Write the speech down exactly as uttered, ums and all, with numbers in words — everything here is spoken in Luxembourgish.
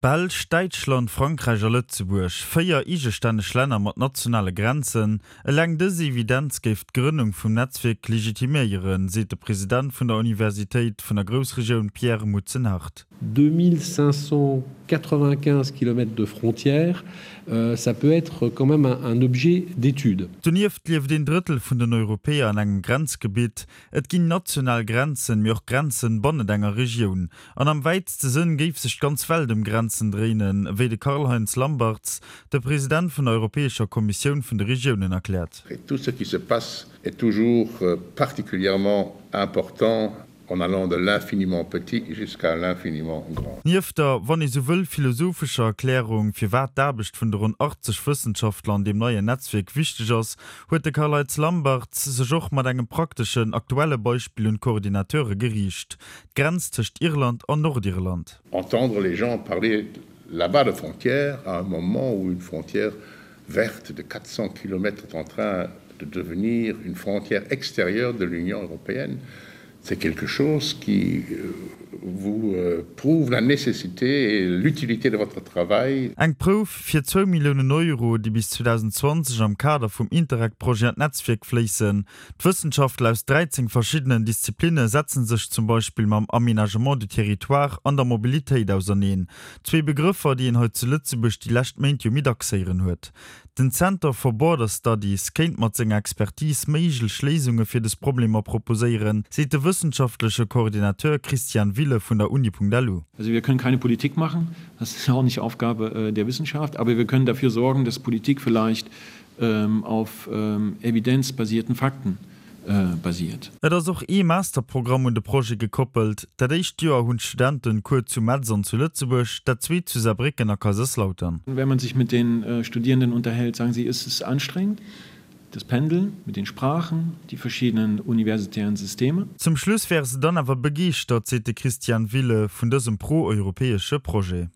Belsch, Däitschland, Frankräich a Lëtzebuerg, véier eegestänneg Länner mat nationale Grenzen. Eleng dës Evidenz géif d'Grënnung vum Netzwierk legitiméieren, seet de President vun der Universitéit vun der Groussregioun Pierre Mutzenhardt. deux mille cinq cent quatre-vingt-quinze kilomètres de frontières, ça peut être quand même un objet d'étude. Donieft lieft een Drëttel vun den Europäer an engem Grenzgebitt. Et ginn national Grenzen, mee och Grenzen bannent enger Regioun. An am wäitste Sënn géif sech d'ganz Welt ëm Grenzen dréinen, wéi de Karl-Heinz Lambertz, de President vun der Europäescher Kommissioun vun de Regiounen erkläert. Et tout ce qui se passe est toujours particulièrement important en allant de l'infiniment petit jusqu'à l'infiniment grand. Nieft der, wann ee sou wëll, philosophescher Erklärung, firwat d'Aarbecht vun de ronn achtzeg Wëssenschaftler an deem neien Netzwierk wichteg ass, huet de Karl-Heinz Lambertz sech och mat engem prakteschen, aktuelle Beispill un d'Coordinateure geriicht, d'Grenz tëscht Irland an Nordirland. Entendre les gens parler là-bas de frontières à un moment où une frontière verte de quatre cents kilomètres est en train de devenir une frontière extérieure de l'Union européenne, c'est quelque chose qui vous prouve la nécessité et l'utilité de votre travail. Eng Prouf fir zwou Milliounen Euro, déi bis zweedausend zwanzeg am Kader vum Interreg-Projet an d'Netzwierk fléissen. D'Wëssenschaftler aus dräizéng verschiddenen Disziplinne setze sech zum Beispill mam Aménagement du territoire an der Mobilitéit auserneen. Zwee Begrëffer, déi een hei zu Lëtzebuerg déi lescht Méint jo méi dacks héieren huet. Den Center for Border Studies kéint mat senger Expertise méiglech Léisunge fir dës Problemer proposéieren, seet de wëssenschaftleche Coordinateur Christian Wille vun der Uni.lu. Also wir können keine Politik machen, das ist auch nicht Aufgabe der Wissenschaft, aber wir können dafür sorgen, dass Politik vielleicht auf evidenzbasierten Fakten basiert. Et ass och ee Masterprogramm un de Projet gekoppelt. Dat éischt Joer hunn d'Studenten Cours zu Metz an zu Lëtzebuerg, dat zweet zu Saarbrécken a Kaiserslautern. Wenn man sich mit den Studierenden unterhält, sagen sie, es ist anstrengend, das Pendeln mit den Sprachen, die verschiedenen universitären Systeme. Zum Schluss wäre se dann awer begeeschtert, seet de Christian Wille, vun dësem pro-europäesche Projet.